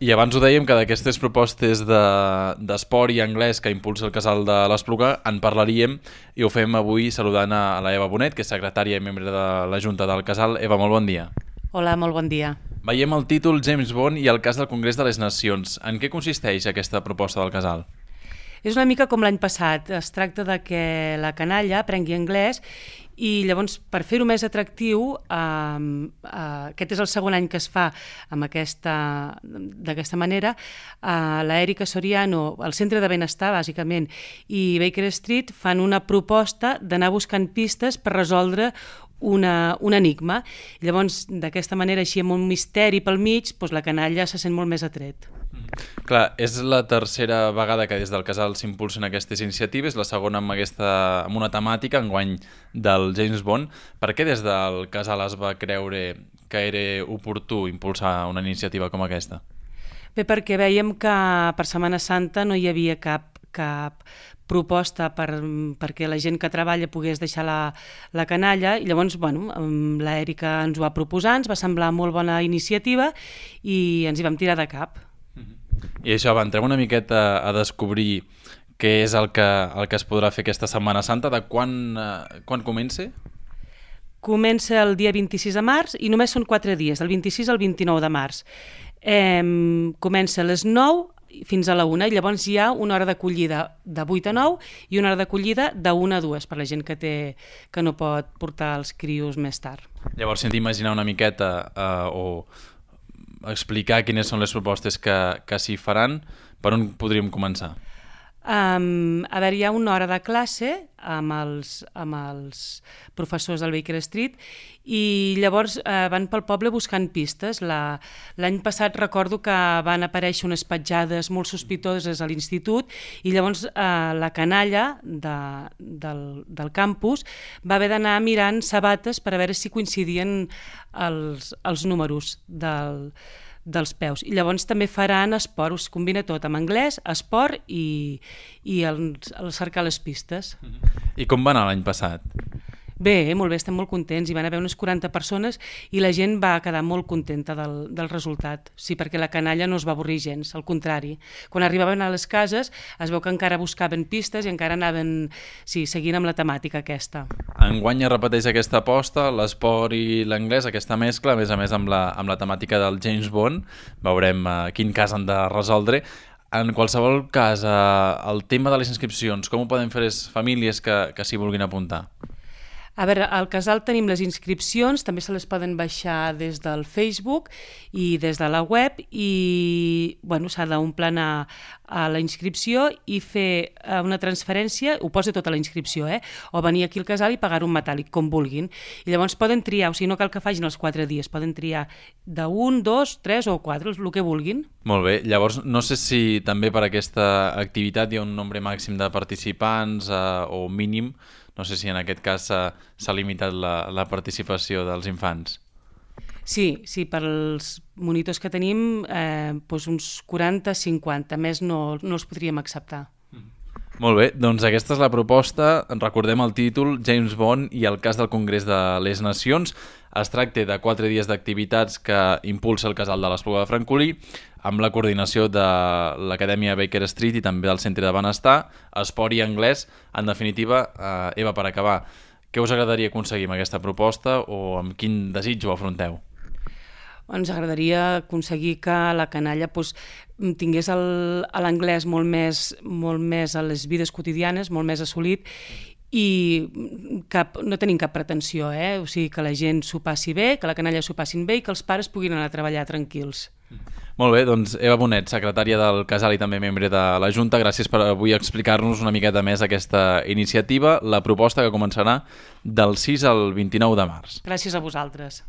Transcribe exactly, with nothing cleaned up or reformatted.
I abans ho dèiem que d'aquestes propostes d'esport de, i anglès que impulsa el Casal de l'Espluga en parlaríem i ho fem avui saludant a la Eva Bonet, que és secretària i membre de la Junta del Casal. Eva, molt bon dia. Hola, molt bon dia. Veiem el títol James Bond i el cas del Congrés de les Nacions. En què consisteix aquesta proposta del Casal? És una mica com l'any passat. Es tracta de que la canalla aprengui anglès i llavors, per fer-ho més atractiu, eh, eh, aquest és el segon any que es fa amb aquesta, d'aquesta manera, eh, la Erika Soriano, el Centre de Benestar, bàsicament, i Baker Street fan una proposta d'anar buscant pistes per resoldre una, un enigma. I llavors, d'aquesta manera, així amb un misteri pel mig, doncs la canalla se sent molt més atret. Clar, és la tercera vegada que des del Casal s'impulsen aquestes iniciatives, la segona amb, aquesta, amb una temàtica, enguany del James Bond. Per què des del Casal es va creure que era oportú impulsar una iniciativa com aquesta? Bé, perquè veiem que per Setmana Santa no hi havia cap, cap proposta per, perquè la gent que treballa pogués deixar la, la canalla i llavors, bueno, la Erika ens ho va proposar, ens va semblar molt bona iniciativa i ens hi vam tirar de cap. I això, va, entrem una miqueta a descobrir què és el que, el que es podrà fer aquesta Setmana Santa. De quan, eh, quan comença? Comença el dia vint-i-sis de març i només són quatre dies, del vint-i-sis al vint-i-nou de març. Eh, comença a les nou fins a la una i llavors hi ha una hora d'acollida de vuit a nou i una hora d'acollida de una a dues per la gent que, té, que no pot portar els crios més tard. Llavors, si hem d'imaginar una miqueta eh, o explicar quines són les propostes que, que s'hi faran, per on podríem començar? Um, a veure, hi ha una hora de classe amb els, amb els professors del Baker Street i llavors uh, van pel poble buscant pistes. La, l'any passat recordo que van aparèixer unes petjades molt sospitoses a l'institut i llavors uh, la canalla de, del, del campus va haver d'anar mirant sabates per a veure si coincidien els, els números del dels peus. I llavors també faran esport, us combina tot, amb anglès, esport i, i el, el cercar les pistes. I com va anar l'any passat? Bé, molt bé, estem molt contents. Hi van haver unes quaranta persones i la gent va quedar molt contenta del, del resultat. Sí, perquè la canalla no es va avorrir gens, al contrari. Quan arribaven a les cases es veu que encara buscaven pistes i encara anaven, sí, seguint amb la temàtica aquesta. Enguany es repeteix aquesta aposta, l'esport i l'anglès, aquesta mescla, a més a més amb la, amb la temàtica del James Bond. Veurem uh, quin cas han de resoldre. En qualsevol cas, uh, el tema de les inscripcions, com ho poden fer les famílies que, que s'hi vulguin apuntar? A veure, al Casal tenim les inscripcions, també se les poden baixar des del Facebook i des de la web i bueno, s'ha d'omplenar a la inscripció i fer una transferència, ho posa tota la inscripció, eh? O venir aquí al Casal i pagar un metàl·lic, com vulguin. I llavors poden triar, o sigui, no cal que facin els quatre dies, poden triar d'un, dos, tres o quatre, el que vulguin. Molt bé, llavors no sé si també per aquesta activitat hi ha un nombre màxim de participants eh, o mínim. No sé si en aquest cas s'ha limitat la, la participació dels infants. Sí, sí, pels monitors que tenim, eh, doncs uns quaranta cinquanta, més no, no els podríem acceptar. Molt bé, doncs aquesta és la proposta. Recordem el títol, James Bond i el cas del Congrés de les Nacions. Es tracta de quatre dies d'activitats que impulsa el Casal de l'Espluga de Francolí amb la coordinació de l'Acadèmia Baker Street i també del Centre de Benestar, esport i anglès. En definitiva, eh, Eva, per acabar, què us agradaria aconseguir amb aquesta proposta o amb quin desig ho afronteu? Ens agradaria aconseguir que la canalla doncs, tingués l'anglès molt més, molt més a les vides quotidianes, molt més assolit i cap, no tenim cap pretensió, eh? O sigui, que la gent s'ho passi bé, que la canalla s'ho passin bé i que els pares puguin anar a treballar tranquils. Molt bé, doncs Eva Bonet, secretària del Casal i també membre de la Junta, gràcies per avui explicar-nos una miqueta més aquesta iniciativa, la proposta que començarà del sis al vint-i-nou de març. Gràcies a vosaltres.